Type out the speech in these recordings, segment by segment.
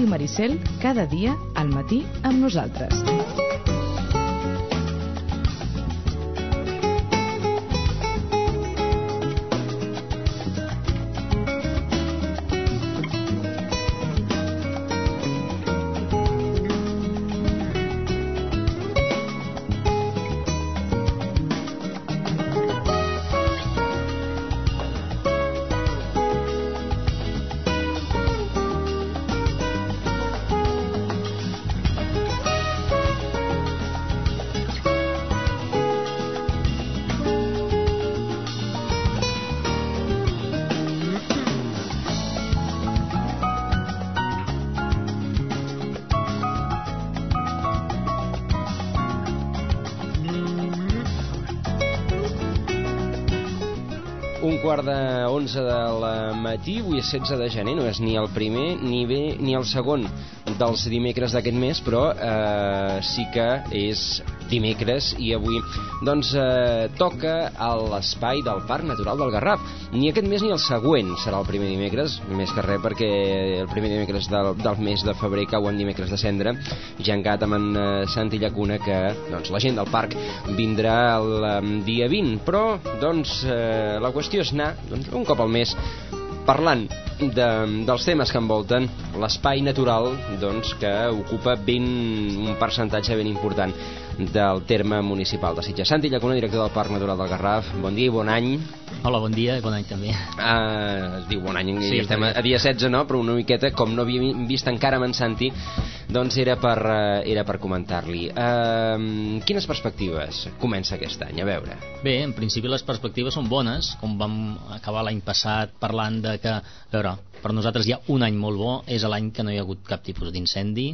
Ràdio Maricel, cada dia al matí amb nosaltres. Un quart de 11 del matí, avui és 16 de gener, no és ni el primer ni el segon dels dimecres d'aquest mes, però sí que és dimecres i avui doncs toca a l'espai del Parc Natural del Garraf. Ni aquest mes ni el següent serà el primer dimecres, més que res perquè el primer dimecres del mes de febrer cau en dimecres de cendra. Ja han quedat amb en Santi Llacuna que doncs, la gent del parc vindrà el dia 20, però doncs la qüestió és anar doncs, un cop al mes parlant dels temes que envolten l'espai natural doncs, que ocupa un percentatge ben important del terme municipal de Sitges. Santi Llacuna, director del Parc Natural del Garraf, bon dia i bon any. Hola, bon dia i bon any també. Es diu bon any, sí, estem a dia 16, no? Però una miqueta, com no havíem vist encara amb en Santi, doncs era per comentar-li. Quines perspectives comença aquest any? A veure. Bé, en principi les perspectives són bones, com vam acabar l'any passat parlant de que, a veure, per nosaltres hi ha un any molt bo, és l'any que no hi ha hagut cap tipus d'incendi,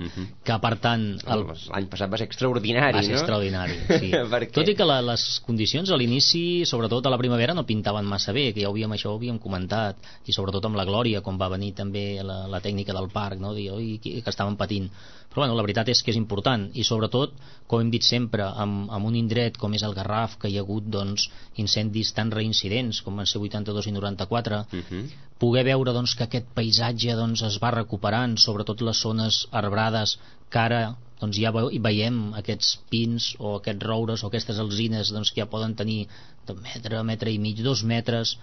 que per tant... L'any passat va ser extraordinari, va ser extraordinari, sí. Tot i que les condicions a l'inici, sobretot a la primavera, no pintaven massa bé, que ja això ho havíem comentat, i sobretot amb la Glòria, quan va venir també la tècnica del parc, no? Dir, oi, que estaven patint. Però bueno, la veritat és que és important, i sobretot, com hem dit sempre, amb un indret com és el Garraf, que hi ha hagut doncs, incendis tan reincidents com van ser 82 i 94, poder veure doncs, que aquest paisatge doncs, es va recuperant, sobretot les zones arbrades, que ara doncs, ja veiem aquests pins o aquests roures o aquestes alzines doncs, que ja poden tenir de metre i mig, 2 metres,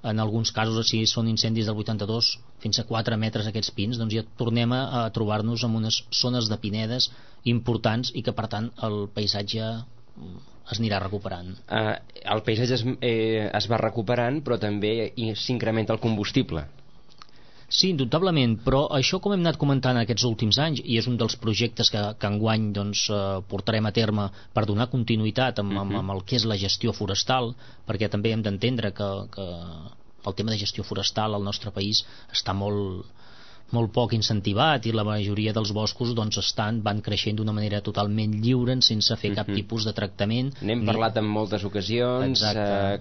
en alguns casos, si són incendis del 82, fins a 4 metres aquests pins, doncs ja tornem a trobar-nos en unes zones de pinedes importants i que per tant el paisatge es anirà recuperant. El paisatge es va recuperant, però també s'incrementa el combustible. Sí, indubtablement, però això, com hem anat comentant aquests últims anys, i és un dels projectes que enguany doncs, portarem a terme per donar continuïtat amb el que és la gestió forestal, perquè també hem d'entendre que el tema de gestió forestal al nostre país està molt poc incentivat, i la majoria dels boscos doncs, van creixent d'una manera totalment lliure, sense fer cap tipus de tractament. N'hem parlat en moltes ocasions,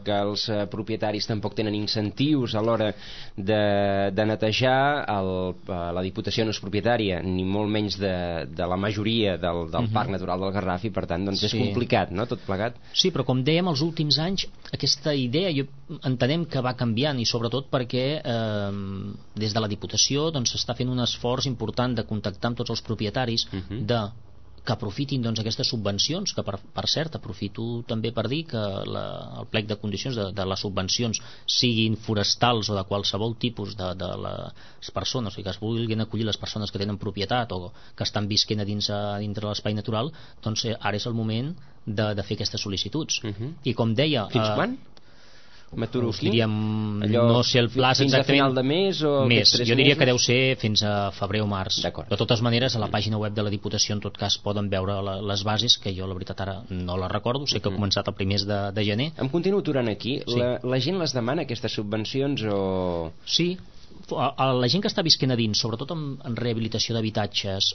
que els propietaris tampoc tenen incentius a l'hora de netejar. La Diputació no és propietària, ni molt menys de la majoria del Parc Natural del Garraf, i per tant doncs, és complicat, no?, tot plegat. Sí, però com dèiem, els últims anys aquesta idea entenem que va canviant, i sobretot perquè des de la Diputació doncs, s'està fent un esforç important de contactar amb tots els propietaris que aprofitin doncs, aquestes subvencions, que per cert aprofito també per dir que el plec de condicions de les subvencions, siguin forestals o de qualsevol tipus de les persones, o sigui, que es vulguin acollir les persones que tenen propietat o que estan visquent a dintre l'espai natural, doncs ara és el moment de fer aquestes sol·licituds. I com deia... Fins quan? M'aturo aquí? No sé el plaç fins exactament. A final de mes o més. Jo diria que deu ser fins a febrer o març. De totes maneres, a la pàgina web de la Diputació en tot cas poden veure les bases, que jo la veritat ara no les recordo, sé que ha començat el primers de gener. Em continuo aturant aquí. Sí. La gent les demana, aquestes subvencions, o...? Sí, la gent que està visquent a dins, sobretot en rehabilitació d'habitatges,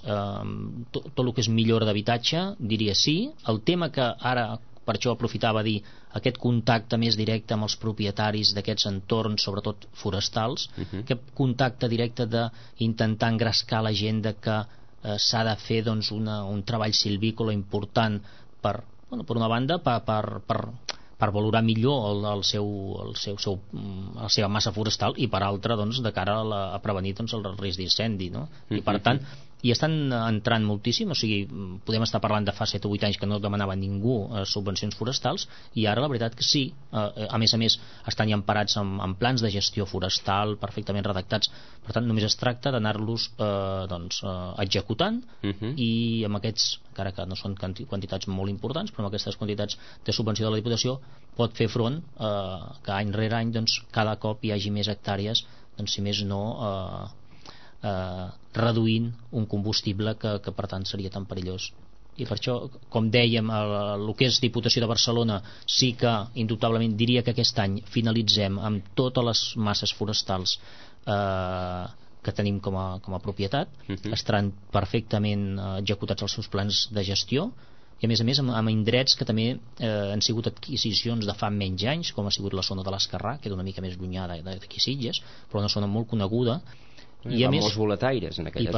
tot el que és millora d'habitatge, diria sí. El tema que ara, per això aprofitava a dir, aquest contacte més directe amb els propietaris d'aquests entorns, sobretot forestals, aquest contacte directe d'intentar engrescar la gent de que s'ha de fer doncs, un treball silvícola important per una banda, per per valorar millor la seva massa forestal, i per altra doncs, de cara a prevenir doncs, el risc d'incendi, no? I per tant i estan entrant moltíssim, o sigui, podem estar parlant de fa 7 o 8 anys que no demanava ningú subvencions forestals, i ara la veritat que sí, a més estan ja emparats en plans de gestió forestal perfectament redactats, per tant només es tracta d'anar-los executant, i amb aquests, encara que no són quantitats molt importants, però amb aquestes quantitats de subvenció de la Diputació pot fer front que any rere any doncs, cada cop hi hagi més hectàrees, doncs, si més no reduint un combustible que per tant seria tan perillós. I per això, com dèiem, el que és Diputació de Barcelona sí que indubtablement diria que aquest any finalitzem amb totes les masses forestals que tenim com a propietat, estaran perfectament executats els seus plans de gestió, i a més amb indrets que també han sigut adquisicions de fa menys anys, com ha sigut la zona de l'Escarrà, que és una mica més llunyà d'aquí Sitges, però una zona molt coneguda, i per molts boletaires en aquella zona.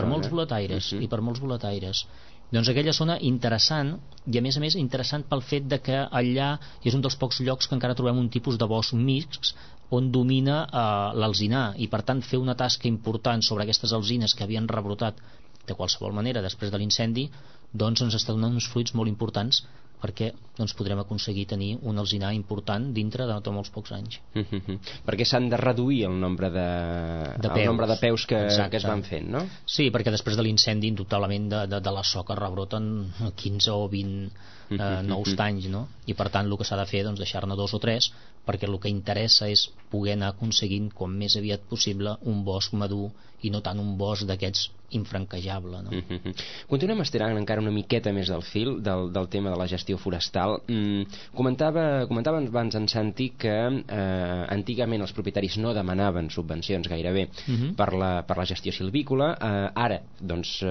I per molts boletaires. Doncs aquella zona interessant, i a més interessant pel fet de que allà és un dels pocs llocs que encara trobem un tipus de bosc mixt on domina l'alzinar, i per tant fer una tasca important sobre aquestes alzines que havien rebrotat de qualsevol manera després de l'incendi, doncs ens està donant uns fruits molt importants, perquè doncs, podrem aconseguir tenir un alzinar important dintre de molts pocs anys. Perquè s'han de reduir el nombre de peus que es van fent, no? Sí, perquè després de l'incendi indubtablement de la soca rebroten 15 o 20 nous tanys, no? I per tant el que s'ha de fer doncs deixar-ne 2 o 3, perquè el que interessa és poder anar aconseguint com més aviat possible un bosc madur i no tant un bosc d'aquests infranquejable, no? Continuem estirant encara una miqueta més del fil del tema de la gestió forestal. Comentava abans en Santi que antigament els propietaris no demanaven subvencions gairebé per la gestió silvícola. Ara, doncs,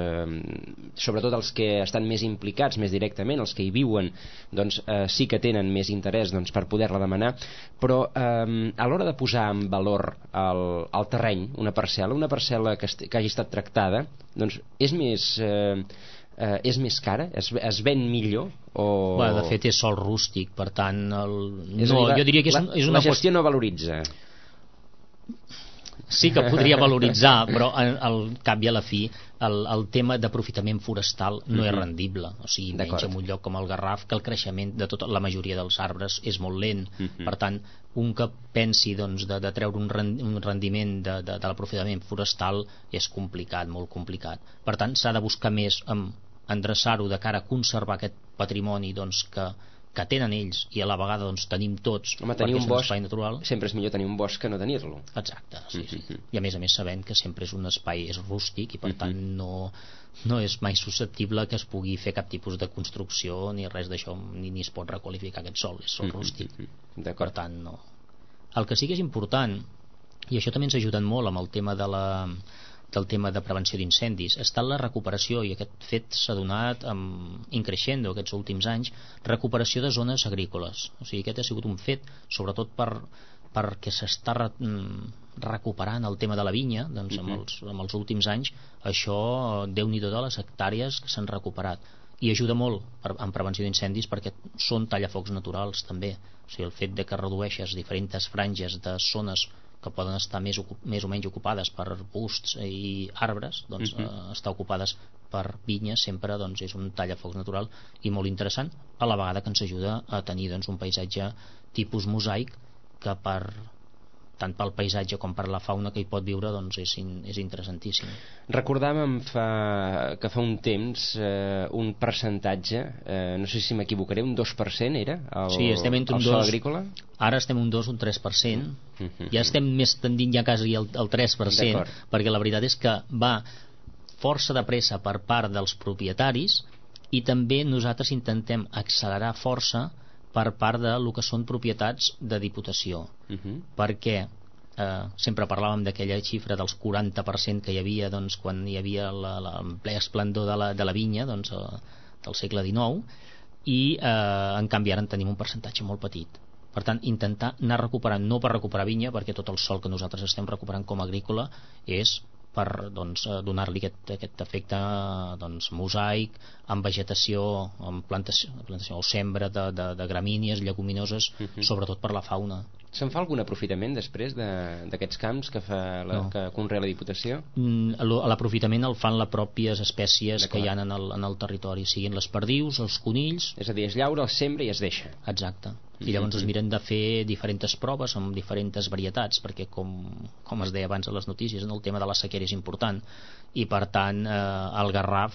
sobretot els que estan més implicats més directament, els que hi viuen, doncs sí que tenen més interès per poder-la demanar, però a l'hora de posar en valor el terreny, una parcel·la que hagi estat tractada, doncs és més cara? Es ven millor? De fet és sòl rústic, per tant jo diria que és una la gestió no valoritza. Sí que podria valoritzar, però al cap i a la fi el tema d'aprofitament forestal no és rendible, o sigui, menys en un lloc com el Garraf, que el creixement de tota la majoria dels arbres és molt lent. Per tant, un que pensi doncs, de treure un rendiment de l'aprofitament forestal és complicat, molt complicat. Per tant, s'ha de buscar més endreçar-ho de cara a conservar aquest patrimoni doncs, que tenen ells, i a la vegada doncs, tenim tots. Home, tenir un bosc natural, sempre és millor tenir un bosc que no tenir-lo. Exacte, sí. I a més sabent que sempre és un espai rústic, i per tant no és mai susceptible que es pugui fer cap tipus de construcció ni res d'això, ni es pot requalificar aquest sòl, és sòl rústic. Per tant, no. El que sí que és important, i això també ens ha ajudat molt amb el tema del tema de prevenció d'incendis, està la recuperació, i aquest fet s'ha donat increixendo aquests últims anys, recuperació de zones agrícoles. O sigui, aquest ha sigut un fet, sobretot perquè s'està recuperant el tema de la vinya, doncs amb els últims anys això, Déu-n'hi-do de les hectàrees que s'han recuperat, i ajuda molt en prevenció d'incendis perquè són tallafocs naturals també. O sigui, el fet de que redueixes diferents franges de zones que poden estar més o menys ocupades per arbusts i arbres, doncs estar ocupades per vinyes sempre doncs, és un tallafocs natural i molt interessant, a la vegada que ens ajuda a tenir doncs, un paisatge tipus mosaic que tant pel paisatge com per la fauna que hi pot viure doncs és interessantíssim. Recordàvem que fa un temps un percentatge, no sé si m'equivocaré, un 2% era el sòl agrícola? Ara estem un 2 o un 3%, ja estem més tendint ja quasi al 3%, perquè la veritat és que va força de pressa per part dels propietaris, i també nosaltres intentem accelerar força per part del que són propietats de Diputació, perquè sempre parlàvem d'aquella xifra dels 40% que hi havia doncs, quan hi havia el ple esplendor de la vinya doncs, del segle XIX, i en canvi ara en tenim un percentatge molt petit. Per tant, intentar anar recuperant, no per recuperar vinya, perquè tot el sòl que nosaltres estem recuperant com a agrícola és per donar-li aquest efecte mosaic, amb vegetació, amb plantació o sembra de gramínies, lleguminoses, sobretot per la fauna. Se'n fa algun aprofitament després d'aquests camps que conrea la Diputació? L'aprofitament el fan les pròpies espècies que hi ha en el territori, siguin les perdius, els conills... És a dir, es llaura, es sembra i es deixa. Exacte. I llavors es miren de fer diferents proves amb diferents varietats, perquè com es deia abans a les notícies, el tema de la sequera és important, i per tant el Garraf,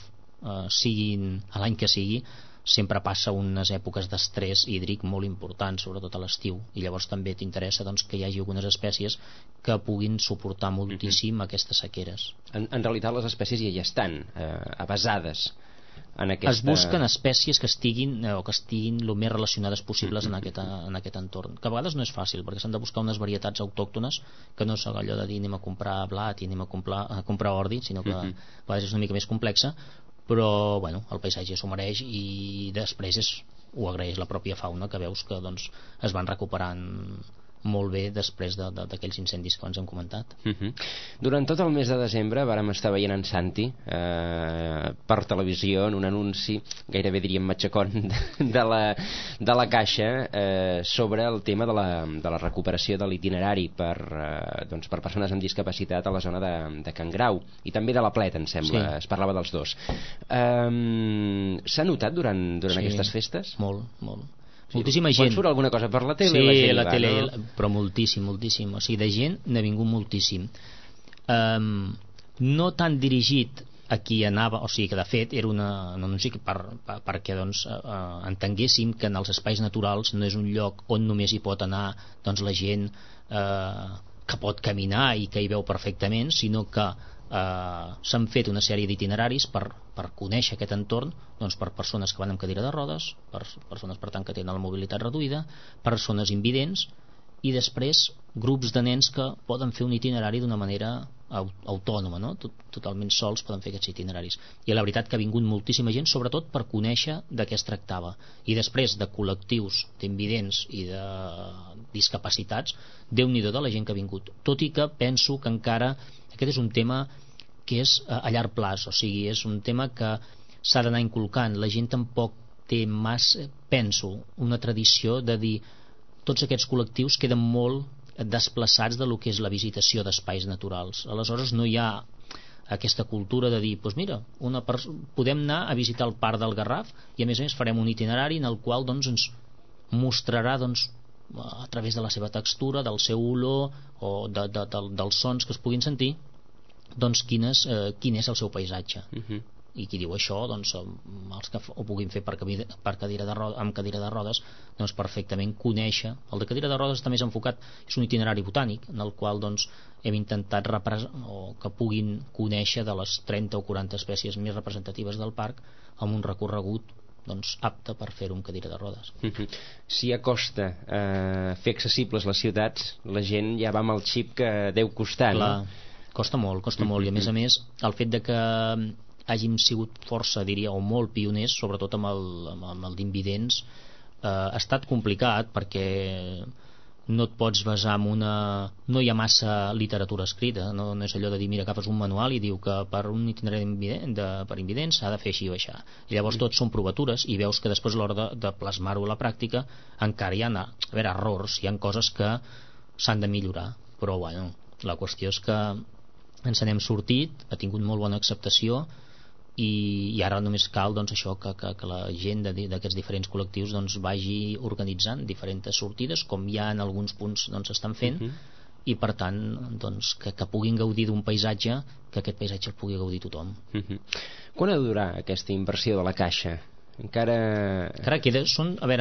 siguin a l'any que sigui, sempre passa unes èpoques d'estrès hídric molt importants, sobretot a l'estiu, i llavors també t'interessa que hi hagi algunes espècies que puguin suportar moltíssim aquestes sequeres. En realitat les espècies ja estan avasades en aquesta... Es busquen espècies que estiguin el més relacionades possibles en aquest entorn, que a vegades no és fàcil, perquè s'han de buscar unes varietats autòctones que no és allò de dir anem a comprar blat i anem a comprar ordi, sinó que a vegades és una mica més complexa, però bueno, el paisatge s'ho mereix, i després ho agraeix la pròpia fauna, que veus que es van recuperant molt bé després d'aquells incendis que ens hem comentat. Durant tot el mes de desembre vàrem estar veient en Santi per televisió en un anunci, gairebé diríem matxacón, de la Caixa sobre el tema de la recuperació de l'itinerari per persones amb discapacitat a la zona de Can Grau, i també de la Plet, em sembla, sí. Es parlava dels dos. S'ha notat durant aquestes festes? Molt. Moltíssima gent. Quan surt alguna cosa per la tele? Sí, la tele, no? Però moltíssim. O sigui, de gent n'ha vingut moltíssim. No tan dirigit a qui anava, o sigui que de fet era un anunci perquè entenguéssim que en els espais naturals no és un lloc on només hi pot anar la gent que pot caminar i que hi veu perfectament, sinó que s'han fet una sèrie d'itineraris per conèixer aquest entorn, per persones que van amb cadira de rodes, per persones per tant que tenen la mobilitat reduïda, persones invidents, i després grups de nens que poden fer un itinerari d'una manera autònoma, no? Totalment sols poden fer aquests itineraris, i la veritat que ha vingut moltíssima gent, sobretot per conèixer de què es tractava. I després de col·lectius d'invidents i de discapacitats, Déu-n'hi-do de la gent que ha vingut, tot i que penso que encara aquest és un tema que és a llarg plaç, o sigui, és un tema que s'ha d'anar inculcant. La gent tampoc té massa, penso, una tradició de dir tots aquests col·lectius queden molt desplaçats de lo que és la visitació d'espais naturals. Aleshores no hi ha aquesta cultura de dir, doncs mira, podem anar a visitar el parc del Garraf i a més farem un itinerari en el qual ens mostrarà a través de la seva textura, del seu olor o dels sons que es puguin sentir, quin és el seu paisatge. I qui diu això, els que ho puguin fer amb cadira de rodes, perfectament conèixer. El de cadira de rodes està més enfocat, és un itinerari botànic en el qual hem intentat que puguin conèixer de les 30 o 40 espècies més representatives del parc amb un recorregut apte per fer-ho amb cadira de rodes. Si costa fer accessibles les ciutats, la gent ja va amb el xip que deu costar. Clar, no? Costa molt, i a més el fet de que hàgim sigut força, diria, o molt pioners, sobretot amb el d'invidents, ha estat complicat perquè no et pots basar en no hi ha massa literatura escrita, no és allò de dir, mira, agafes un manual i diu que per un itinerari per invidents s'ha de fer així o així, i llavors tots són provatures i veus que després a l'hora de plasmar-ho a la pràctica encara hi ha errors, hi ha coses que s'han de millorar, però bueno, la qüestió és que ens n'hem sortit, ha tingut molt bona acceptació, i ara només cal això, que la gent d'aquests diferents col·lectius vagi organitzant diferents sortides, com ja en alguns punts s'estan fent, i per tant que puguin gaudir d'un paisatge, que aquest paisatge el pugui gaudir tothom. Quan ha de durar aquesta inversió de la Caixa? Encara queda,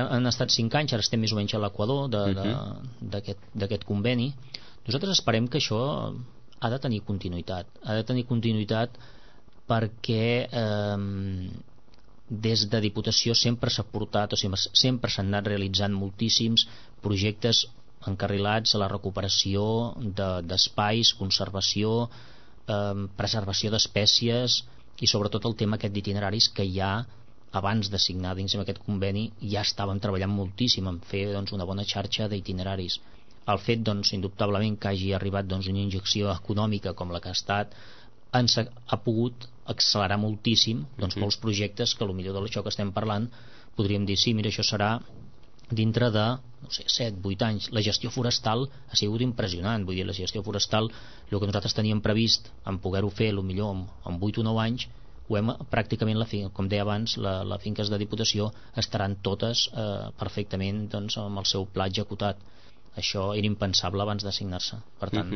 han estat 5 anys, ara estem més o menys a l'equador d'aquest conveni. Nosaltres esperem que això ha de tenir continuïtat perquè des de Diputació sempre s'ha portat, o sigui, sempre s'han anat realitzant moltíssims projectes encarrilats a la recuperació d'espais, conservació, preservació d'espècies, i sobretot el tema aquest d'itineraris que ja abans de signar dins aquest conveni ja estàvem treballant moltíssim en fer una bona xarxa d'itineraris. El fet indubtablement que hagi arribat una injecció econòmica com la que ha estat ha pogut accelerar moltíssim doncs, molts projectes que potser d'això que estem parlant podríem dir, sí, mira, això serà dintre de, no sé, 7-8 anys. La gestió forestal ha sigut impressionant, vull dir, la gestió forestal, el que nosaltres teníem previst en poder-ho fer, millor en 8 o 9 anys, ho hem pràcticament, com deia abans, les finques de Diputació estaran totes perfectament doncs, amb el seu pla executat. Això era impensable abans d'assignar-se. Per tant,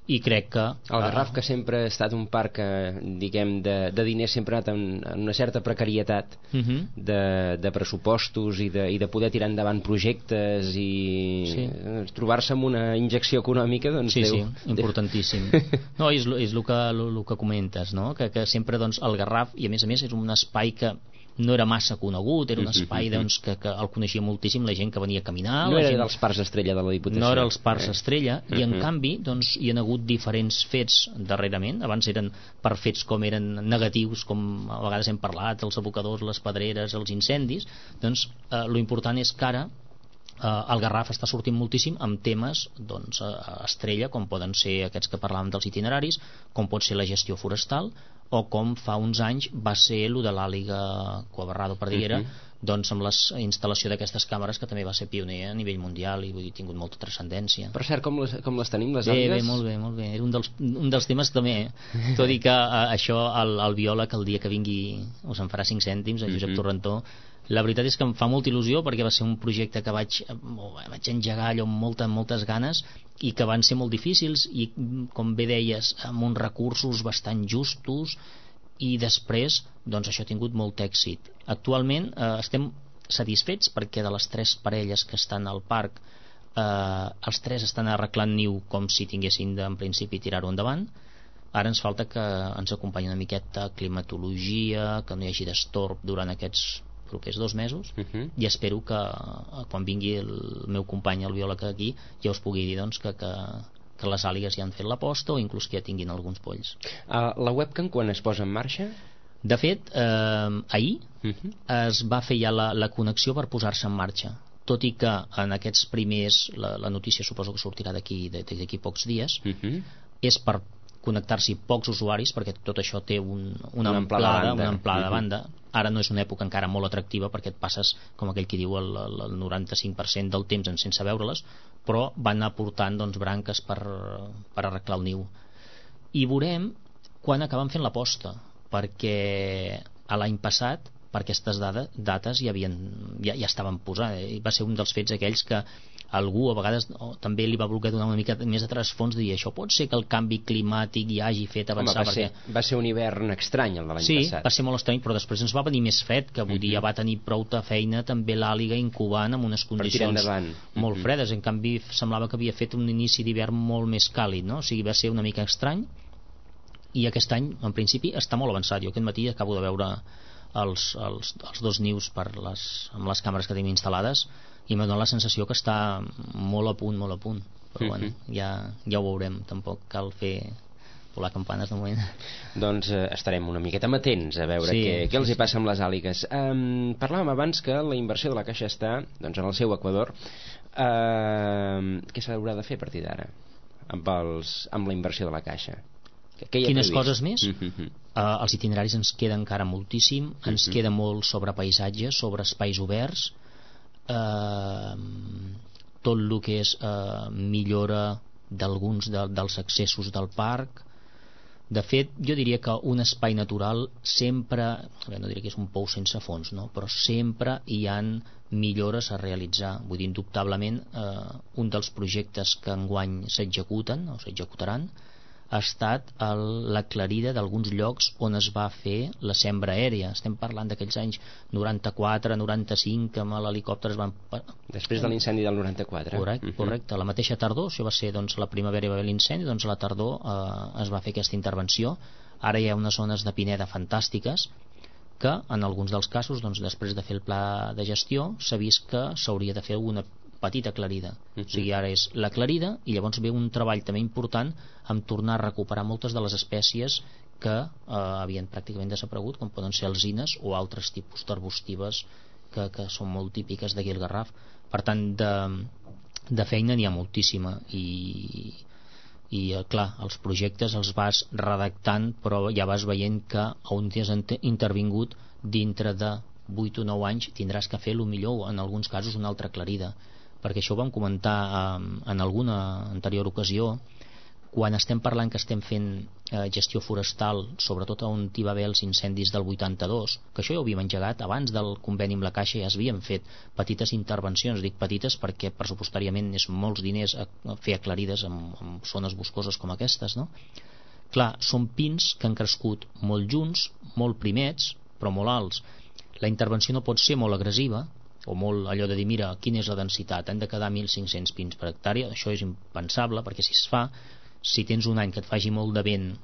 i crec que... El Garraf, que sempre ha estat un parc diguem, de diners, sempre ha anat en una certa precarietat de pressupostos i de poder tirar endavant projectes i trobar-se amb una injecció econòmica, doncs sí, importantíssim. No, és el que comentes, no? Que sempre doncs, el Garraf, i a més és un espai que no era massa conegut, era un espai doncs, que el coneixia moltíssim la gent que venia a caminar. No era dels parcs estrella de la Diputació. No era els parcs estrella, i en canvi doncs, hi ha hagut diferents fets darrerament. Abans eren per fets com eren negatius, com a vegades hem parlat, els abocadors, les pedreres, els incendis. Doncs lo important és que ara el Garraf està sortint moltíssim amb temes doncs, estrella, com poden ser aquests que parlàvem dels itineraris, com pot ser la gestió forestal, o com fa uns anys va ser el de l'Àliga Cuabarrado Perdiguera, doncs amb la instal·lació d'aquestes càmeres, que també va ser pioner a nivell mundial i vull dir, ha tingut molta transcendència. Per cert, com les tenim, les àligues? Bé, molt bé. Era un dels temes també, tot i que això el biòleg el dia que vingui us en farà 5 cèntims, el Josep Torrentó. La veritat és que em fa molta il·lusió perquè va ser un projecte que vaig engegar allò amb moltes ganes i que van ser molt difícils i, com bé deies, amb uns recursos bastant justos, i després doncs això ha tingut molt èxit. Actualment estem satisfets perquè de les 3 parelles que estan al parc els 3 estan arreglant niu com si tinguessin en principi tirar-ho endavant. Ara ens falta que ens acompanyi una miqueta climatologia, que no hi hagi destorb durant aquests propers 2 mesos, i espero que quan vingui el meu company el biòleg aquí ja us pugui dir doncs, que les àligues ja han fet l'aposta o inclús que ja tinguin alguns polls. La webcam quan es posa en marxa? De fet, ahir es va fer ja la connexió per posar-se en marxa, tot i que en aquests primers, la notícia suposo que sortirà d'aquí pocs dies, és per connectar-s'hi pocs usuaris, perquè tot això té una amplada de banda. Ara no és una època encara molt atractiva perquè et passes, com aquell que diu, el 95% del temps sense veure-les, però van anar portant doncs, branques per arreglar el niu. I veurem quan acaben fent l'aposta, perquè l'any passat per aquestes dates ja estaven posades, i va ser un dels fets aquells que algú a vegades també li va voler donar una mica més de trasfons, dir això pot ser que el canvi climàtic ja hagi fet avançar. Va ser un hivern estrany el de l'any passat. Sí, va ser molt estrany, però després ens va venir més fred, que vull dir, ja va tenir prou de feina també l'àliga incubant en unes condicions molt fredes. En canvi semblava que havia fet un inici d'hivern molt més càlid, no? O sigui, va ser una mica estrany, i aquest any en principi està molt avançat. Jo aquest matí acabo de veure els 2 nius amb les càmeres que tenim instal·lades i m'ha donat la sensació que està molt a punt, però bueno, ja ho veurem, tampoc cal fer volar campanes de moment. Doncs estarem una miqueta amatents a veure què els hi passa amb les àligues. Parlàvem abans que la inversió de la Caixa està doncs, en el seu equador. Què s'haurà de fer a partir d'ara amb la inversió de la Caixa? Quines coses més? Els itineraris ens queda encara moltíssim, ens queda molt sobre paisatges, sobre espais oberts, tot el que és millora d'alguns dels accessos del parc. De fet, jo diria que un espai natural sempre, no diria que és un pou sense fons, no? Però sempre hi han millores a realitzar. Vull dir, indubtablement un dels projectes que enguany s'executen o s'executaran ha estat l'aclarida d'alguns llocs on es va fer la sembra aèria. Estem parlant d'aquells anys 94, 95, que amb l'helicòpter es van... Després de l'incendi del 94. Correcte. La mateixa tardor, això va ser doncs, la primavera i va haver l'incendi, doncs a la tardor es va fer aquesta intervenció. Ara hi ha unes zones de pineda fantàstiques que en alguns dels casos, doncs, després de fer el pla de gestió, s'ha vist que s'hauria de fer una petita aclarida. O sigui, ara és l'aclarida i llavors ve un treball també important en tornar a recuperar moltes de les espècies que havien pràcticament desaparegut, com poden ser alzines o altres tipus d'arbustives que són molt típiques d'aquí al Garraf. Per tant, de feina n'hi ha moltíssima, i i clar, els projectes els vas redactant, però ja vas veient que on t'has intervingut dintre de 8 o 9 anys tindràs que fer, millor en alguns casos, una altra aclarida, perquè això ho vam comentar en alguna anterior ocasió. Quan estem parlant que estem fent gestió forestal, sobretot on hi va haver els incendis del 82, que això ja ho havíem engegat abans del conveni amb la Caixa, ja s'havien fet petites intervencions, dic petites perquè pressupostàriament és molts diners a fer aclarides en zones boscoses com aquestes, no? Clar, són pins que han crescut molt junts, molt primets, però molt alts. La intervenció no pot ser molt agressiva, o molt allò de dir, mira, quina és la densitat, han de quedar 1.500 pins per hectàrea, això és impensable, perquè si es fa, si tens un any que et faci molt de vent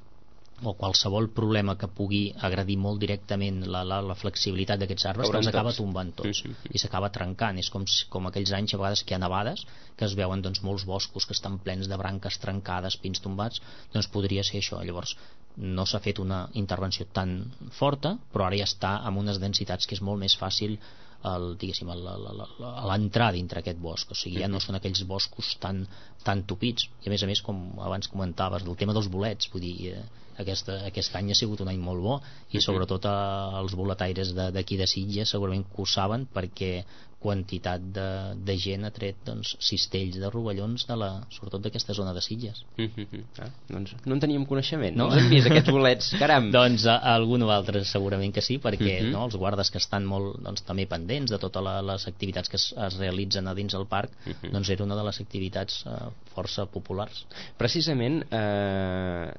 o qualsevol problema que pugui agredir molt directament la flexibilitat d'aquests arbres, doncs acaba tombant tots i s'acaba trencant. És com aquells anys a vegades que hi ha nevades, que es veuen doncs, molts boscos que estan plens de branques trencades, pins tombats, doncs podria ser això. Llavors no s'ha fet una intervenció tan forta, però ara ja està amb unes densitats que és molt més fàcil l'entrar dintre aquest bosc, o sigui, ja no són aquells boscos tan tupits, i a més, com abans comentaves del tema dels bolets, vull dir, aquest any ha sigut un any molt bo, i sobretot els boletaires d'aquí de Sitges segurament que ho saben, perquè quantitat de gent ha tret doncs, cistells de rovellons sobretot d'aquesta zona de Sitges. Doncs no en teníem coneixement, no? Els hem vist aquests bolets, caram. Doncs algun o altre segurament que sí, perquè els guardes que estan molt també pendents de totes les activitats que es realitzen a dins del parc, doncs era una de les activitats força populars. Precisament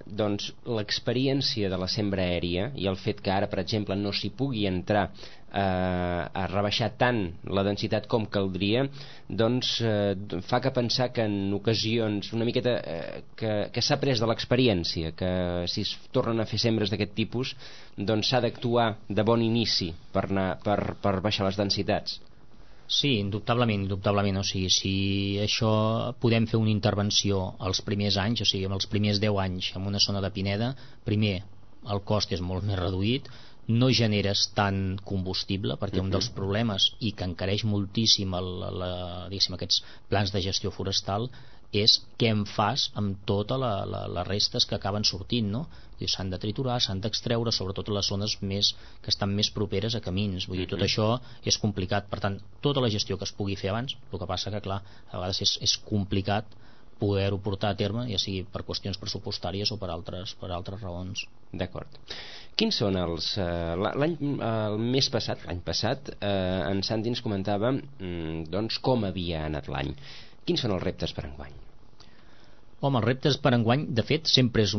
doncs l'experiència de la sembra aèria i el fet que ara, per exemple, no s'hi pugui entrar a rebaixar tant la densitat com caldria, doncs fa que pensar que en ocasions una miqueta que s'ha après de l'experiència, que si es tornen a fer sembres d'aquest tipus doncs s'ha d'actuar de bon inici per baixar les densitats. Sí, indubtablement. O sigui, si això podem fer una intervenció als primers anys, o sigui, en els primers 10 anys en una zona de pineda, primer el cost és molt més reduït, no generes tant combustible, perquè un dels problemes i que encareix moltíssim aquests plans de gestió forestal és què en fas amb totes les restes que acaben sortint, no? S'han de triturar, s'han d'extreure, sobretot a les zones que estan més properes a camins. Vull dir, tot això és complicat. Per tant, tota la gestió que es pugui fer abans, el que passa que, clar, a vegades és complicat poder-ho portar a terme, ja sigui per qüestions pressupostàries o per altres raons. D'acord. Quins són l'any passat en Santi ens comentava doncs com havia anat l'any. Quins són els reptes per enguany? Home, els reptes per enguany, de fet, sempre és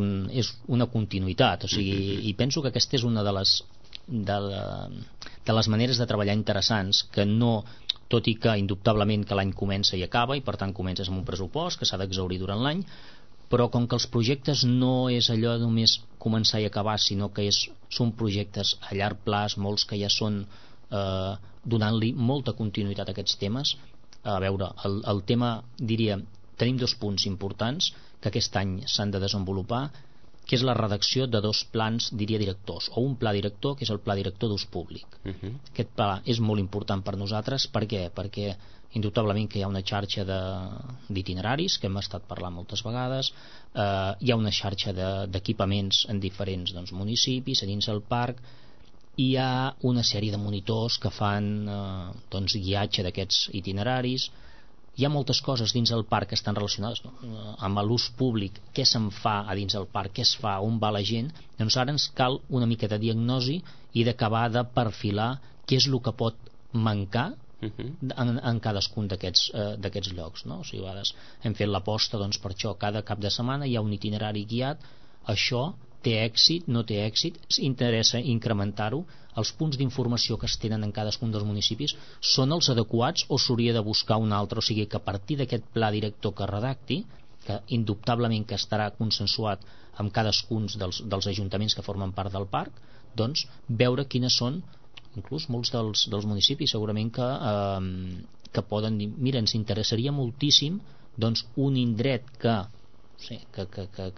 una continuïtat, o sigui, i penso que aquesta és una de les maneres de treballar interessants, que no, tot i que indubtablement que l'any comença i acaba, i per tant comences amb un pressupost que s'ha d'exhaurir durant l'any, però com que els projectes no és allò de només començar i acabar, sinó que són projectes a llarg plaç, molts que ja són donant-li molta continuïtat a aquests temes. A veure, el tema, diria, tenim 2 punts importants que aquest any s'han de desenvolupar, que és la redacció de 2 plans, diria, directors, o un pla director, que és el pla director d'ús públic. Aquest pla és molt important per nosaltres. Per què? Perquè indubtablement que hi ha una xarxa d'itineraris, que hem estat parlant moltes vegades, hi ha una xarxa d'equipaments en diferents municipis, a dins del parc, hi ha una sèrie de monitors que fan guiatge d'aquests itineraris. Hi ha moltes coses dins del parc que estan relacionades amb l'ús públic, què se'n fa a dins del parc, què es fa, on va la gent. Doncs ara ens cal una mica de diagnosi i d'acabar de perfilar què és el que pot mancar en cadascun d'aquests llocs, no? O sigui, a vegades hem fet l'aposta per això, cada cap de setmana hi ha un itinerari guiat, això té èxit, no té èxit, interessa incrementar-ho, els punts d'informació que es tenen en cadascun dels municipis són els adequats o s'hauria de buscar un altre, o sigui que a partir d'aquest pla director que redacti, que indubtablement que estarà consensuat amb cadascun dels ajuntaments que formen part del parc, doncs veure quines són, inclús molts dels municipis segurament que poden dir, mira, ens interessaria moltíssim un indret que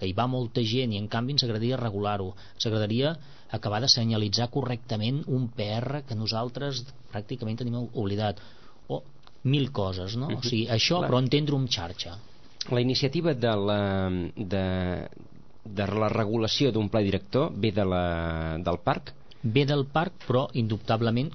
hi va molta gent i en canvi ens agradaria regular-ho, ens agradaria acabar de senyalitzar correctament un PR que nosaltres pràcticament tenim oblidat, o 1000 coses, no? O sigui, això, però entendre-ho en xarxa. La iniciativa de la regulació d'un pla director ve del parc? Ve del parc, però indubtablement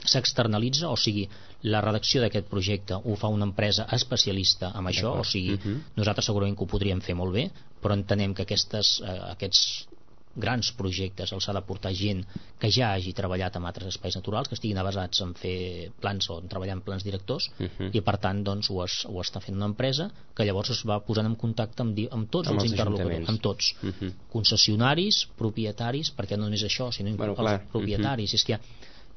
s'externalitza, o sigui, la redacció d'aquest projecte ho fa una empresa especialista en això, o sigui, nosaltres segurament que ho podríem fer molt bé, però entenem que aquests grans projectes els ha de portar gent que ja hagi treballat en altres espais naturals, que estiguin basats en fer plans o en treballar en plans directors, i per tant doncs, ho està fent una empresa que llavors es va posant en contacte amb tots els interlocutors, amb tots, concessionaris, propietaris, perquè no només això, sinó els propietaris. És que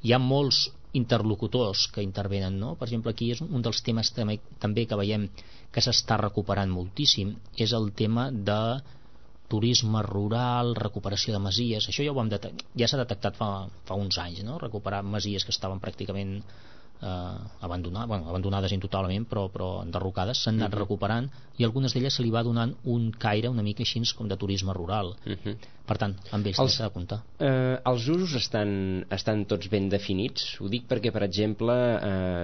hi ha molts interlocutors que intervenen, no? Per exemple, aquí és un dels temes també que veiem que s'està recuperant moltíssim, és el tema de turisme rural, recuperació de masies. Això ja s'ha detectat fa uns anys, no? Recuperar masies que estaven pràcticament abandonades totalment, però enderrocades, s'han anat recuperant, i algunes d'elles se li va donant un caire una mica així com de turisme rural. Per tant, amb ells s'ha de comptar. Els usos estan tots ben definits? Ho dic perquè, per exemple,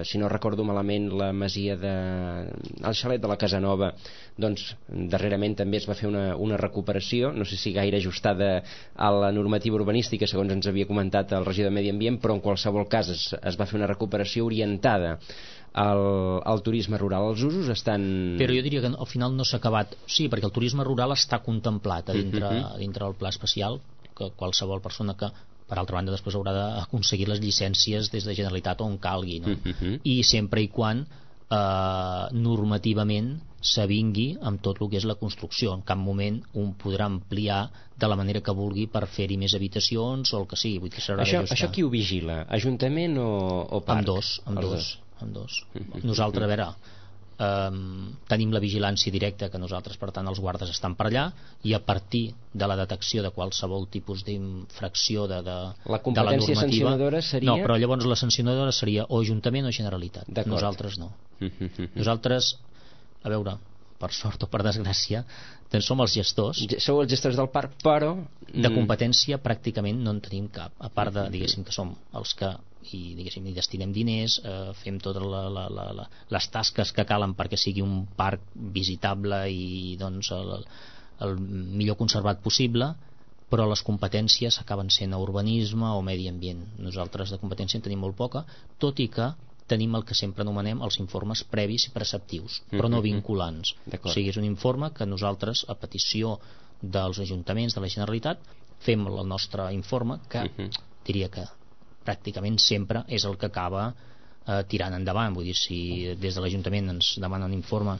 si no recordo malament, la masia el xalet de la Casanova, doncs darrerament també es va fer una recuperació, no sé si gaire ajustada a la normativa urbanística, segons ens havia comentat el regidor de Medi Ambient, però en qualsevol cas es va fer una recuperació orientada al turisme rural. Els usos estan... Però jo diria que al final no s'ha acabat. Sí, perquè el turisme rural està contemplat dintre del pla especial, que qualsevol persona que, per altra banda, després haurà d'aconseguir les llicències des de Generalitat on calgui, no? I sempre i quan normativament s'avingui amb tot el que és la construcció. En cap moment un podrà ampliar de la manera que vulgui per fer-hi més habitacions o el que sigui. Vull dir que s'haurà d'ajustar. Això qui ho vigila? Ajuntament o parc? Amb dos. Nosaltres, a veure, tenim la vigilància directa, que nosaltres, per tant, els guardes estan per allà, i a partir de la detecció de qualsevol tipus d'infracció de la competència sancionadora seria... No, però llavors la sancionadora seria o Ajuntament o Generalitat. Nosaltres no. Nosaltres, a veure, per sort o per desgràcia, doncs som els gestors. Sou els gestors del parc, però... De competència pràcticament no en tenim cap, a part de, diguéssim, que som els que hi destinem diners, fem totes les tasques que calen perquè sigui un parc visitable i doncs el millor conservat possible, però les competències acaben sent a urbanisme o medi ambient. Nosaltres de competència en tenim molt poca, tot i que tenim el que sempre anomenem els informes previs i preceptius, però no vinculants. O sigui, és un informe que nosaltres, a petició dels ajuntaments de la Generalitat, fem el nostre informe, que diria que pràcticament sempre és el que acaba tirant endavant. Vull dir, si des de l'Ajuntament ens demanen un informe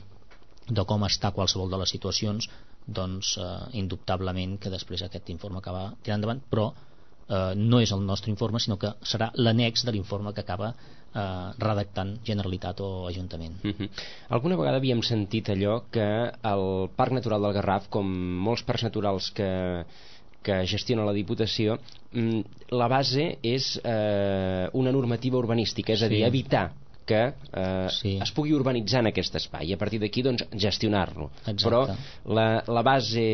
de com està qualsevol de les situacions, doncs indubtablement que després aquest informe acaba tirant endavant, però no és el nostre informe, sinó que serà l'annex de l'informe que acaba redactant Generalitat o Ajuntament. Alguna vegada havíem sentit allò que el Parc Natural del Garraf, com molts parcs naturals que gestiona la Diputació, la base és una normativa urbanística, és a dir, evitar que es pugui urbanitzar en aquest espai i a partir d'aquí doncs gestionar-lo. Però la base,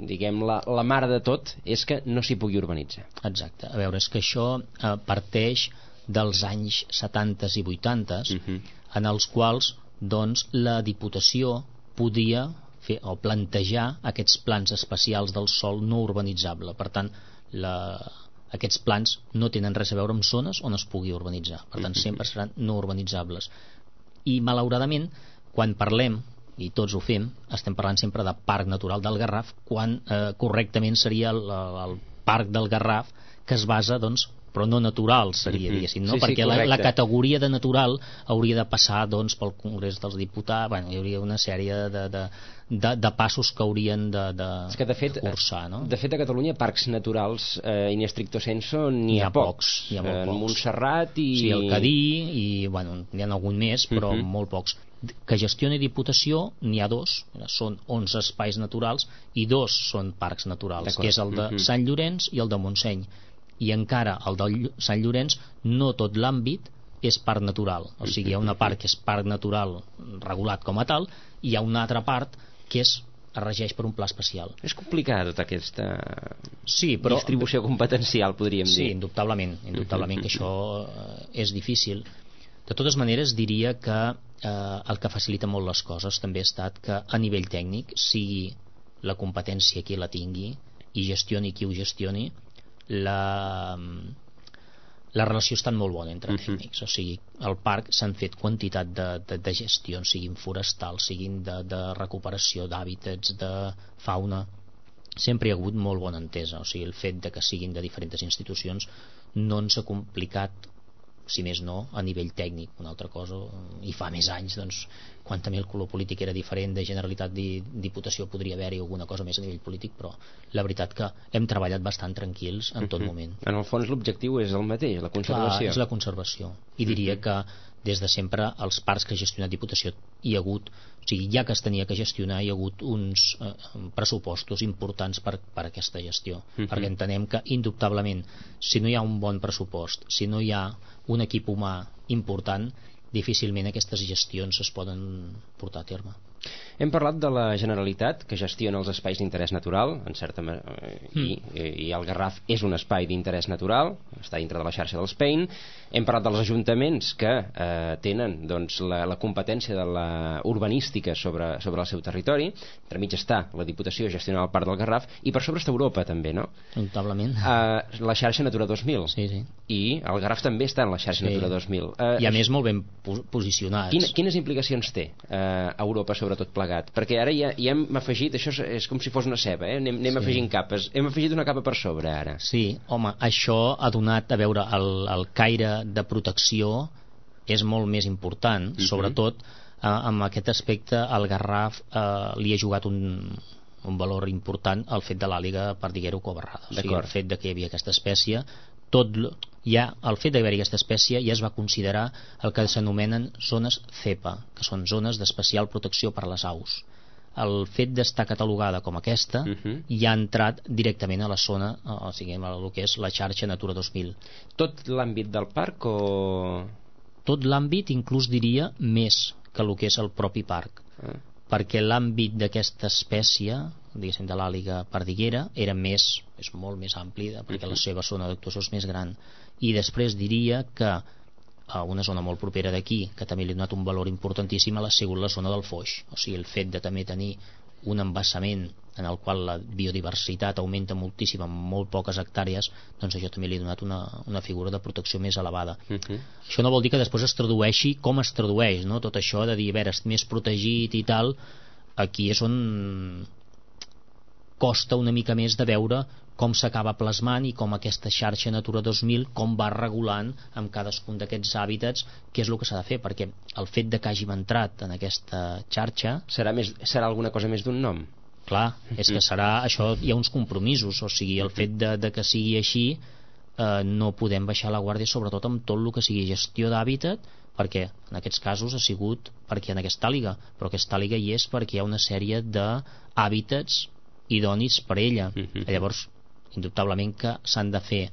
diguem, la mare de tot és que no s'hi pugui urbanitzar. Exacte. A veure, és que això parteix dels anys 70 i 80 en els quals doncs la Diputació podia fer o plantejar aquests plans especials del sòl no urbanitzable. Per tant, aquests plans no tenen res a veure amb zones on es pugui urbanitzar, per tant sempre seran no urbanitzables. I malauradament, quan parlem, i tots ho fem, estem parlant sempre de Parc Natural del Garraf, quan correctament seria el Parc del Garraf, que es basa, doncs, però no natural seria, diguéssim, no? Perquè la categoria de natural hauria de passar doncs pel Congrés dels Diputats. Bueno, hi hauria una sèrie de passos que haurien de cursar, no? De fet, a Catalunya parcs naturals in stricto sensu n'hi ha pocs. Hi ha molt pocs. Montserrat i... Sí, el Cadí i, bueno, n'hi ha algun més, però molt pocs. Que gestioni Diputació n'hi ha dos, són 11 espais naturals i dos són parcs naturals, que és el de Sant Llorenç i el de Montseny. I encara el de Sant Llorenç no tot l'àmbit és parc natural, o sigui, hi ha una part que és parc natural regulat com a tal i hi ha una altra part que es regeix per un pla especial. És complicada tota aquesta distribució competencial, podríem dir. Sí, indubtablement que això és difícil. De totes maneres, diria que el que facilita molt les coses també ha estat que a nivell tècnic sigui la competència qui la tingui i gestioni qui ho gestioni, la relació ha estat molt bona entre tècnics. O sigui, al parc s'han fet quantitat de gestions, siguin forestals, siguin de recuperació d'hàbitats, de fauna. Sempre hi ha hagut molt bona entesa. O sigui, el fet de que siguin de diferents institucions no ens ha complicat, si més no, a nivell tècnic. Una altra cosa, i fa més anys, doncs, quan també el color polític era diferent, de Generalitat Diputació podria haver-hi alguna cosa més a nivell polític, però la veritat que hem treballat bastant tranquils en tot moment. En el fons l'objectiu és el mateix, la conservació. Clar, és la conservació. I diria que des de sempre els parcs que ha gestionat Diputació hi ha hagut, o sigui, ja que es tenia que gestionar, hi ha hagut uns pressupostos importants per aquesta gestió, perquè entenem que indubtablement si no hi ha un bon pressupost, si no hi ha un equip humà important, difícilment aquestes gestions es poden portar a terme. Hem parlat de la Generalitat, que gestiona els espais d'interès natural, en certa i el Garraf és un espai d'interès natural, està dintre de la xarxa dels PEIN. Hem parlat dels ajuntaments que tenen doncs, la competència de la urbanística sobre el seu territori. Entremig està la Diputació gestionant el Parc del Garraf, i per sobre està Europa també, no? Notablement. La xarxa Natura 2000. Sí, sí. I el Garraf també està en la xarxa Natura 2000. I a més molt ben posicionats. Quines implicacions té Europa sobre tot plegat? Perquè ara ja hem afegit, això és com si fos una ceba, anem afegint capes, hem afegit una capa per sobre ara. Sí, home, això ha donat, a veure, el caire de protecció és molt més important, sobretot amb aquest aspecte el Garraf li ha jugat un valor important al fet de l'àliga perdiguero-covarrada. O sigui, el fet de que hi havia aquesta espècie, el fet d'haver-hi aquesta espècie ja es va considerar el que s'anomenen zones CEPA, que són zones d'especial protecció per a les aus. El fet d'estar catalogada com aquesta ja ha entrat directament a la zona, o sigui, el que és la xarxa Natura 2000. Tot l'àmbit del parc o...? Tot l'àmbit, inclús diria més que el que és el propi parc, perquè l'àmbit d'aquesta espècie, diguéssim, de l'àliga perdiguera, és molt més ampli, perquè la seva zona d'actuació és més gran. I després diria que a una zona molt propera d'aquí, que també li ha donat un valor importantíssim, ha sigut la zona del Foix. O sigui, el fet de també tenir un embassament en el qual la biodiversitat augmenta moltíssim en molt poques hectàrees, doncs això també li ha donat una figura de protecció més elevada. Això no vol dir que després es tradueixi com es tradueix, no? Tot això de dir, a veure, és més protegit i tal, aquí és on costa una mica més de veure com s'acaba plasmant i com aquesta xarxa Natura 2000 com va regulant amb cadascun d'aquests hàbitats què és el que s'ha de fer, perquè el fet de que hàgim entrat en aquesta xarxa serà alguna cosa més d'un nom? Clar, és que serà això, hi ha uns compromisos, o sigui, el fet de que sigui així no podem baixar la guàrdia, sobretot amb tot el que sigui gestió d'hàbitat, perquè en aquests casos ha sigut perquè en aquesta àliga, però aquesta àliga hi és perquè hi ha una sèrie d'hàbitats idonis per ella. Llavors indubtablement que s'han de fer,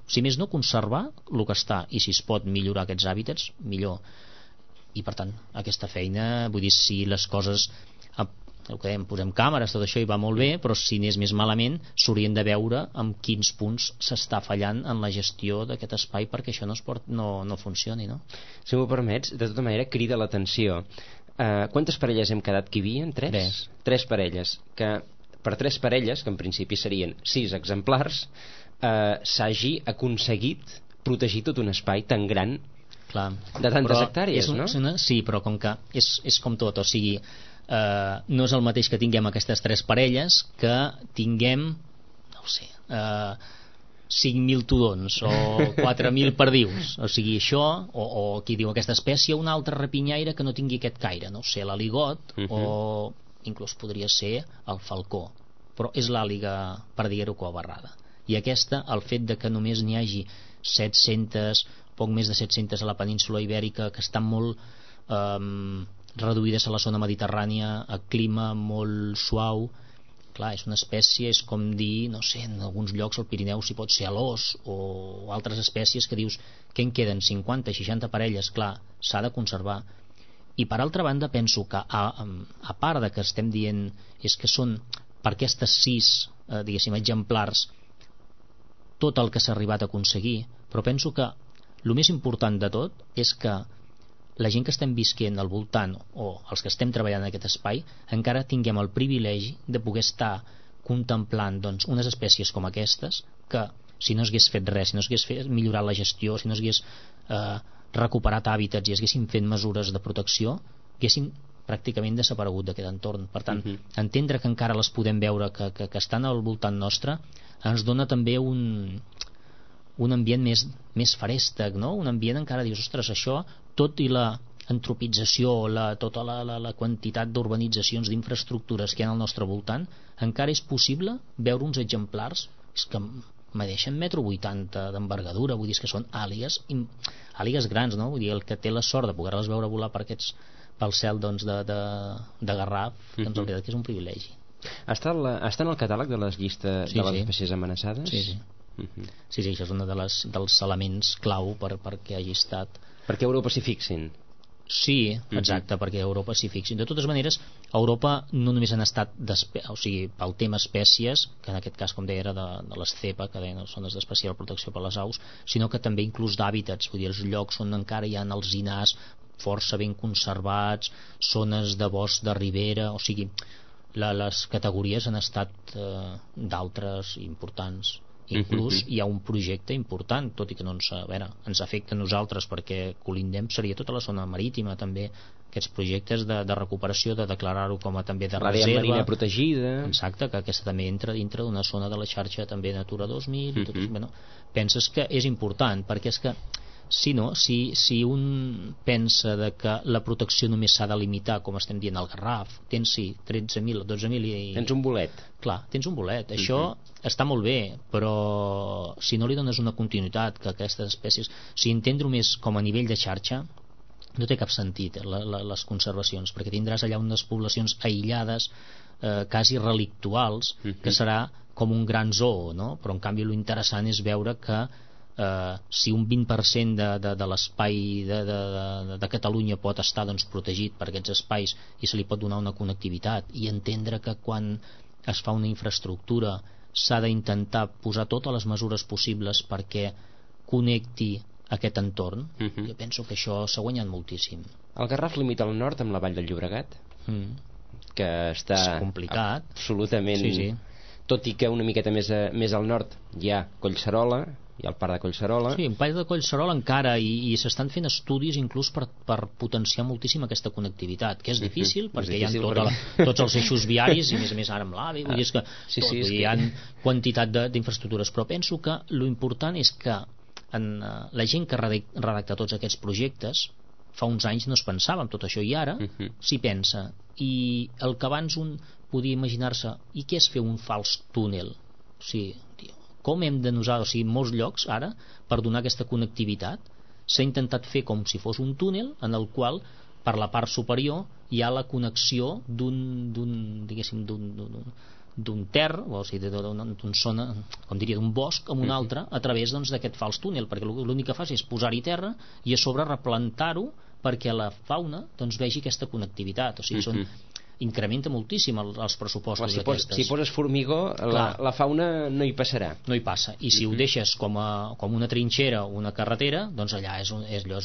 si més no, conservar el que està, i si es pot millorar aquests hàbitats, millor. I per tant, aquesta feina, vull dir, si les coses el que dèiem, posem càmeres, tot això hi va molt bé, però si anés més malament s'haurien de veure en quins punts s'està fallant en la gestió d'aquest espai perquè això no funcioni, no? Si m'ho permets, de tota manera crida l'atenció. Quantes parelles hem quedat que hi havia? Tres parelles, que per 3 parelles, que en principi serien 6 exemplars, s'hagi aconseguit protegir tot un espai tan gran. Clar, de tantes hectàrees, no? Sí, però com que és com tot, o sigui, no és el mateix que tinguem aquestes 3 parelles que tinguem, no ho sé, 5.000 tudons o 4.000 perdius. O sigui, això, o qui diu aquesta espècie, un altre rapinyaire que no tingui aquest caire, no ho sé, l'aligot, o inclús podria ser el falcó, però és l'àliga perdiguero-covarrada. I aquesta, el fet de que només n'hi hagi 700, poc més de 700 a la península ibèrica, que estan molt reduïdes a la zona mediterrània, a clima molt suau, clar, és una espècie, és com dir, no sé, en alguns llocs al Pirineu s'hi pot ser a l'os, o altres espècies que dius, què en queden, 50, 60 parelles? Clar, s'ha de conservar. I per altra banda penso que a part de que estem dient és que són per aquestes 6 diguéssim exemplars tot el que s'ha arribat a aconseguir, però penso que el més important de tot és que la gent que estem visquent al voltant o els que estem treballant en aquest espai encara tinguem el privilegi de poder estar contemplant doncs, unes espècies com aquestes que si no s'hagués fet res, si no s'hagués millorat la gestió, si no s'hagués recuperat hàbitats i haguessin fet mesures de protecció, haguessin pràcticament desaparegut d'aquest entorn. Per tant, entendre que encara les podem veure que estan al voltant nostre ens dona també un ambient més feréstec, no? Un ambient encara dius, ostres, això, tot i la antropització, tota la quantitat d'urbanitzacions, d'infraestructures que hi ha al nostre voltant, encara és possible veure uns exemplars que medeixen 1,80 m d'envergadura, vull dir que són àligues grans, no? Vull dir, el que té la sort de poder-les veure volar pel cel doncs, de Garraf, doncs en realitat que és un privilegi. Està en el catàleg de les llistes de les espècies amenaçades? Sí. Sí, això és un dels elements clau perquè hagi estat... Perquè Europa s'hi fixin. Sí, exacte, perquè Europa s'hi fixin. De totes maneres, a Europa no només han estat pel tema espècies, que en aquest cas, com deia, era de l'estepa, que deien zones d'especial protecció per les aus, sinó que també inclús d'hàbitats, vull dir, els llocs on encara hi ha alzinars força ben conservats, zones de bosc de ribera, o sigui, les categories han estat d'altres importants. Inclús hi ha un projecte important, tot i que no ens afecta a nosaltres perquè colindem, seria tota la zona marítima també, aquests projectes de recuperació, de declarar-ho com a també de reserva. L'àrea marina protegida. Exacte, que aquesta també entra dintre d'una zona de la xarxa també Natura 2000 i tot això. Bueno, penses que és important perquè és que si un pensa de que la protecció només s'ha de limitar, com estem dient al Garraf, tens 13.000, 12.000 i... Tens un bolet. Clar, tens un bolet. Això està molt bé, però si no li dones una continuïtat que aquestes espècies... Si entendre-ho més com a nivell de xarxa, no té cap sentit les conservacions, perquè tindràs allà unes poblacions aïllades, quasi relictuals, que serà com un gran zoo, no? Però en canvi l'interessant és veure que si un 20% de l'espai de Catalunya pot estar doncs, protegit per aquests espais i se li pot donar una connectivitat i entendre que quan es fa una infraestructura s'ha d'intentar posar totes les mesures possibles perquè connecti aquest entorn, jo penso que això s'ha guanyat moltíssim. El Garraf limita al nord amb la Vall del Llobregat, que està és complicat, absolutament, sí. Tot i que una miqueta més al nord hi ha Collserola, hi ha el parc de Collserola. Sí, el parc de Collserola encara, i s'estan fent estudis inclús per potenciar moltíssim aquesta connectivitat, que és difícil perquè hi ha tots els eixos viaris i a més ara amb l'AVE, vull dir que hi ha quantitat d'infraestructures, però penso que l'important és que la gent que redacta tots aquests projectes fa uns anys no es pensava en tot això i ara s'hi pensa, i el que abans un podia imaginar-se, i què és fer un fals túnel? O sigui, com hem de nosaltres, o sigui, en molts llocs ara, per donar aquesta connectivitat s'ha intentat fer com si fos un túnel en el qual per la part superior hi ha la connexió d'un terra, o sigui, d'una zona, com diria, d'un bosc amb un altre a través d'aquest fals túnel, perquè l'únic que fas és posar-hi terra i a sobre replantar-ho perquè la fauna vegi aquesta connectivitat. O sigui, incrementa moltíssim els pressupostos d'aquestes. Si poses formigó, la fauna no hi passarà. No hi passa. I si ho deixes com una trinxera o una carretera, doncs allà és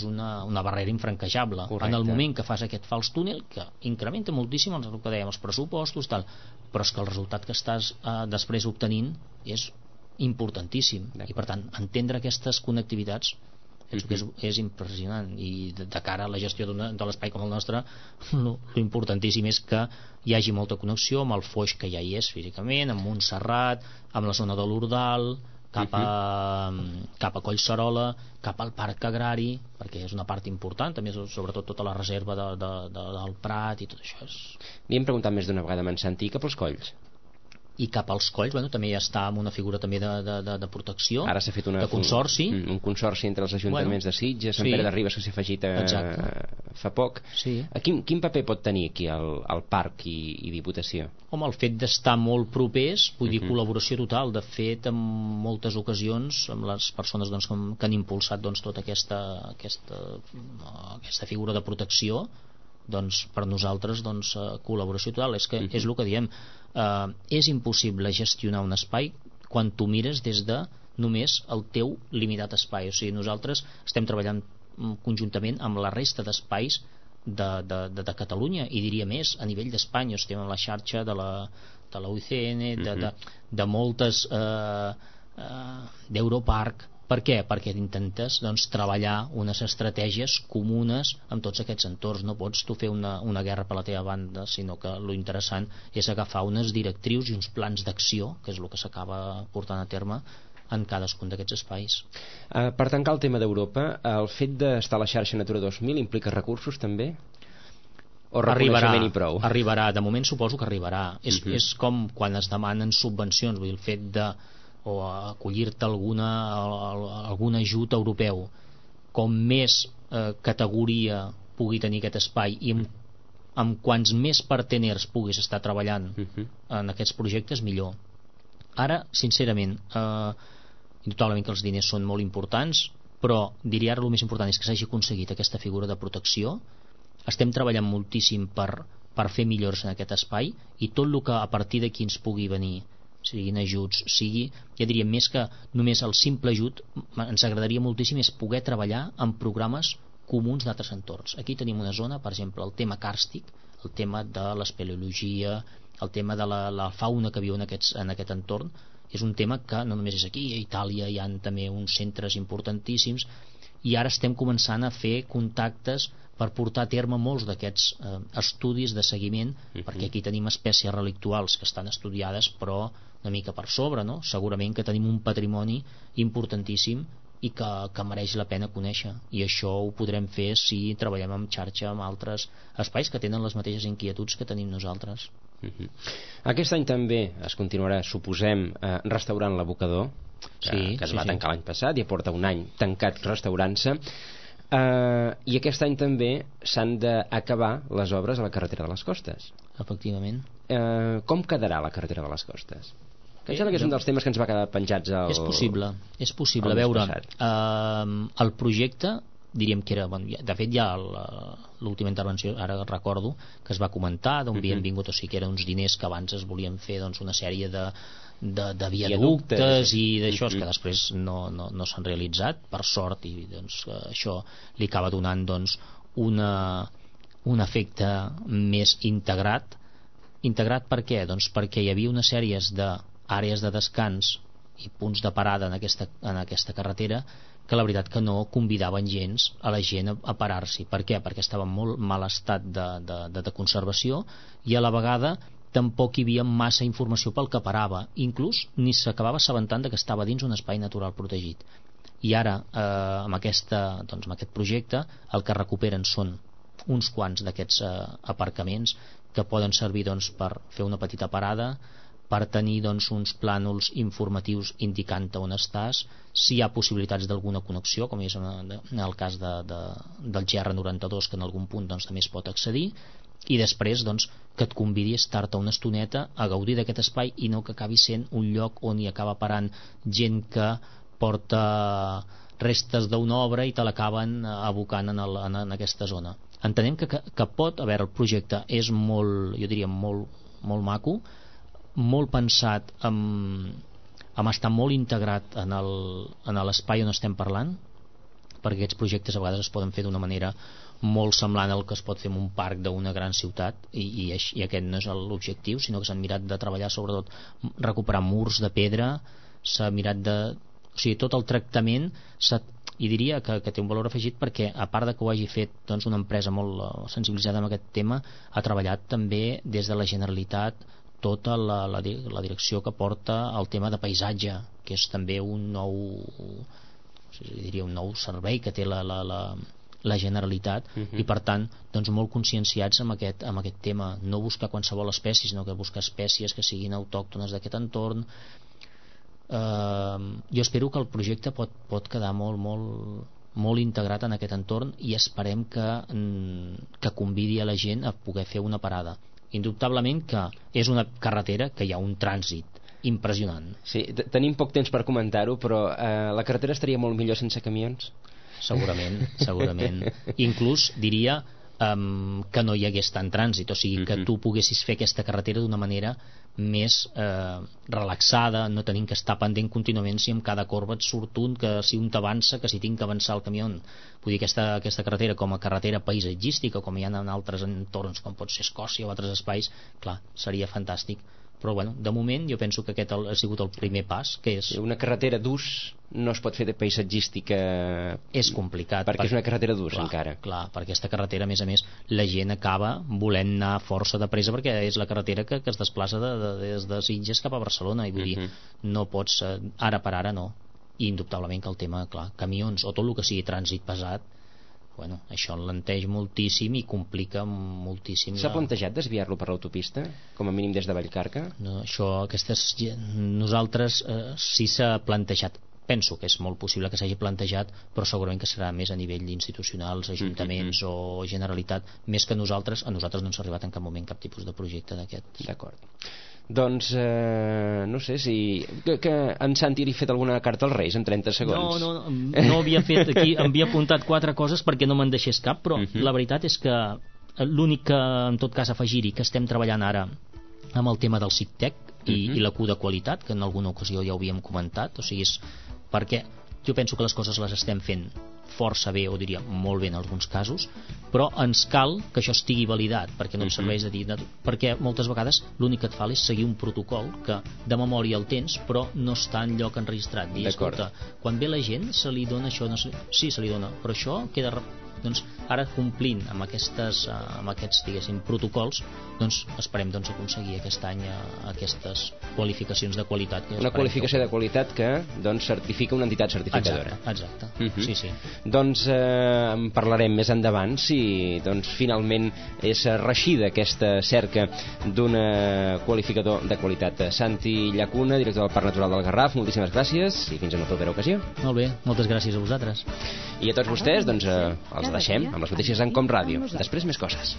una barrera infranquejable. Correcte. En el moment que fas aquest fals túnel, que incrementa moltíssim el que dèiem, els pressupostos, tal, però és que el resultat que estàs després obtenint és importantíssim. I per tant, entendre aquestes connectivitats penso que és impressionant, i de cara a la gestió de l'espai com el nostre, l'importantíssim és que hi hagi molta connexió amb el Foix, que ja hi és físicament, amb Montserrat, amb la zona de l'Ordal, cap a Collserola, cap al Parc Agrari, perquè és una part important, també sobretot tota la reserva del Prat i tot això. Li hem preguntat més d'una vegada, Mensantí, cap als colls? I cap als colls, també ja està amb una figura també de protecció. Ara s'ha fet de consorci. Un consorci entre els ajuntaments de Sitges, Sant Pere de Ribes, que s'ha afegit fa poc. Sí. Quin paper pot tenir aquí el parc i Diputació? Home, el fet d'estar molt propers, vull dir, col·laboració total. De fet, en moltes ocasions, amb les persones que han impulsat tota aquesta figura de protecció, per nosaltres col·laboració total. És el que diem, és impossible gestionar un espai quan tu mires des de només el teu limitat espai. O sigui, nosaltres estem treballant conjuntament amb la resta d'espais de Catalunya, i diria més, a nivell d'Espanya. Estem en la xarxa de la UICN, de moltes d'Europarc. Per què? Perquè intentes treballar unes estratègies comunes amb tots aquests entorns. No pots tu fer una guerra per la teva banda, sinó que lo interessant és agafar unes directrius i uns plans d'acció, que és el que s'acaba portant a terme en cadascun d'aquests espais. Per tancar el tema d'Europa, el fet d'estar a la xarxa Natura 2000 implica recursos també? O reconeixement i prou? Arribarà, de moment suposo que arribarà. És com quan es demanen subvencions, vull dir, el fet de o acollir-te algun ajut europeu, com més categoria pugui tenir aquest espai i amb quants més parteners puguis estar treballant en aquests projectes, millor. Ara, sincerament, indubtablement que els diners són molt importants, però diria ara el més important és que s'hagi aconseguit aquesta figura de protecció. Estem treballant moltíssim per fer millores en aquest espai, i tot el que a partir d'aquí ens pugui venir, siguin ajuts, ja diríem, més que només el simple ajut, ens agradaria moltíssim és poder treballar en programes comuns d'altres entorns. Aquí tenim una zona, per exemple, el tema càrstic, el tema de l'espeleologia, el tema de la fauna que viu en aquest entorn, és un tema que no només és aquí, a Itàlia hi ha també uns centres importantíssims, i ara estem començant a fer contactes per portar a terme molts d'aquests estudis de seguiment, perquè aquí tenim espècies relictuals que estan estudiades, però una mica per sobre, no? Segurament que tenim un patrimoni importantíssim i que mereix la pena conèixer, i això ho podrem fer si treballem en xarxa amb altres espais que tenen les mateixes inquietuds que tenim nosaltres. Aquest any també es continuarà, suposem, restaurant l'abocador, que es va tancar l'any passat, ja porta un any tancat restaurant-se. I aquest any també s'han d'acabar les obres a la carretera de les Costes. Efectivament. Com quedarà la carretera de les Costes? Que em sembla que és un dels temes que ens va quedar penjats és possible. A veure, el projecte, diríem que era, de fet ja l'última intervenció, ara recordo que es va comentar d'on havien vingut, o sigui que eren uns diners que abans es volien fer una sèrie de viaductes i d'això, que després no s'han realitzat, per sort, i això li acaba donant un efecte més integrat. Per què? Perquè hi havia una sèrie d'àrees de descans i punts de parada en aquesta carretera que la veritat que no convidaven gens a la gent a parar-s'hi. Per què? Perquè estava en molt mal estat de conservació, i a la vegada tampoc hi havia massa informació pel que parava, inclús ni s'acabava assabentant que estava dins un espai natural protegit. I ara amb aquest projecte el que recuperen són uns quants d'aquests aparcaments que poden servir per fer una petita parada, per tenir uns plànols informatius indicant on estàs, si hi ha possibilitats d'alguna connexió, com és en el cas del GR92, que en algun punt també es pot accedir, i després que et convidi a estar-te una estoneta a gaudir d'aquest espai i no que acabi sent un lloc on hi acaba parant gent que porta restes d'una obra i te l'acaben abocant en aquesta zona. Entenem que pot, a veure, el projecte és molt, jo diria, molt maco, molt pensat amb estar molt integrat en l'espai on estem parlant, perquè aquests projectes a vegades es poden fer d'una manera molt semblant al que es pot fer en un parc d'una gran ciutat, i aquest no és l'objectiu, sinó que s'han mirat de treballar sobretot recuperar murs de pedra, s'ha mirat o sigui, tot el tractament i diria que té un valor afegit perquè, a part de que ho hagi fet una empresa molt sensibilitzada amb aquest tema, ha treballat també des de la Generalitat tota la direcció que porta el tema de paisatge, que és també un nou servei que té la Generalitat, i per tant molt conscienciats amb aquest tema, no buscar qualsevol espècie, sinó que buscar espècies que siguin autòctones d'aquest entorn. Jo espero que el projecte pot quedar molt integrat en aquest entorn, i esperem que convidi a la gent a poder fer una parada. Indubtablement que és una carretera que hi ha un trànsit impressionant. Sí, tenim poc temps per comentar-ho, però la carretera estaria molt millor sense camions? Segurament. Inclús diria que no hi hagués tant trànsit, o sigui, que tu poguessis fer aquesta carretera d'una manera més relaxada, no tenint que estar pendent contínuament si amb cada corba et surt un, que si un t'avança, que si tinc que avançar el camió. Vull dir, aquesta carretera com a carretera paisatgística, com hi ha en altres entorns com pot ser Escòcia o altres espais, clar, seria fantàstic. Però bueno, de moment jo penso que aquest ha sigut el primer pas, que és... Una carretera d'ús no es pot fer de paisatgística... És complicat. Perquè és una carretera d'ús, encara. Clar, perquè aquesta carretera, a més, la gent acaba volent anar força de pressa perquè és la carretera que es desplaça des de Sitges cap a Barcelona, i vull dir, no pots... Ara per ara no. I indubtablement que el tema, clar, camions o tot el que sigui trànsit pesat, bueno, això enlenteix moltíssim i complica moltíssim. S'ha plantejat desviar-lo per l'autopista, com a mínim des de Vallcarca? No, nosaltres sí s'ha plantejat. Penso que és molt possible que s'hagi plantejat, però segurament que serà més a nivell institucionals, ajuntaments o Generalitat, més que a nosaltres no ens ha arribat en cap moment cap tipus de projecte d'aquest. D'acord. Doncs no sé si que en Santi li ha fet alguna carta als Reis en 30 segons. No havia fet aquí, em havia apuntat 4 coses perquè no me'n deixés cap, però la veritat és que l'únic que en tot cas afegir-hi que estem treballant ara amb el tema del CICTEC i la Q de qualitat, que en alguna ocasió ja ho havíem comentat, o sigui, és perquè jo penso que les coses les estem fent força bé, o diria molt bé en alguns casos, però ens cal que això estigui validat, perquè no em serveix de dir, perquè moltes vegades l'únic que et fa és seguir un protocol que de memòria el tens però no està en lloc enregistrat. Dir, escolta, quan ve la gent se li dona això, no sé, sí, se li dona, però això queda... Doncs ara complint amb aquests diguéssim protocols, doncs esperem aconseguir aquest any aquestes qualificacions de qualitat. Una qualificació de qualitat que doncs certifica una entitat certificadora. Exacte. Sí. Doncs en parlarem més endavant si doncs finalment és reeixida aquesta cerca d'un qualificador de qualitat. Santi Llacuna, director del Parc Natural del Garraf, moltíssimes gràcies i fins en una propera ocasió. Molt bé, moltes gràcies a vosaltres. I a tots vostès, doncs els deixem amb les notícies en Com Ràdio. Després més coses.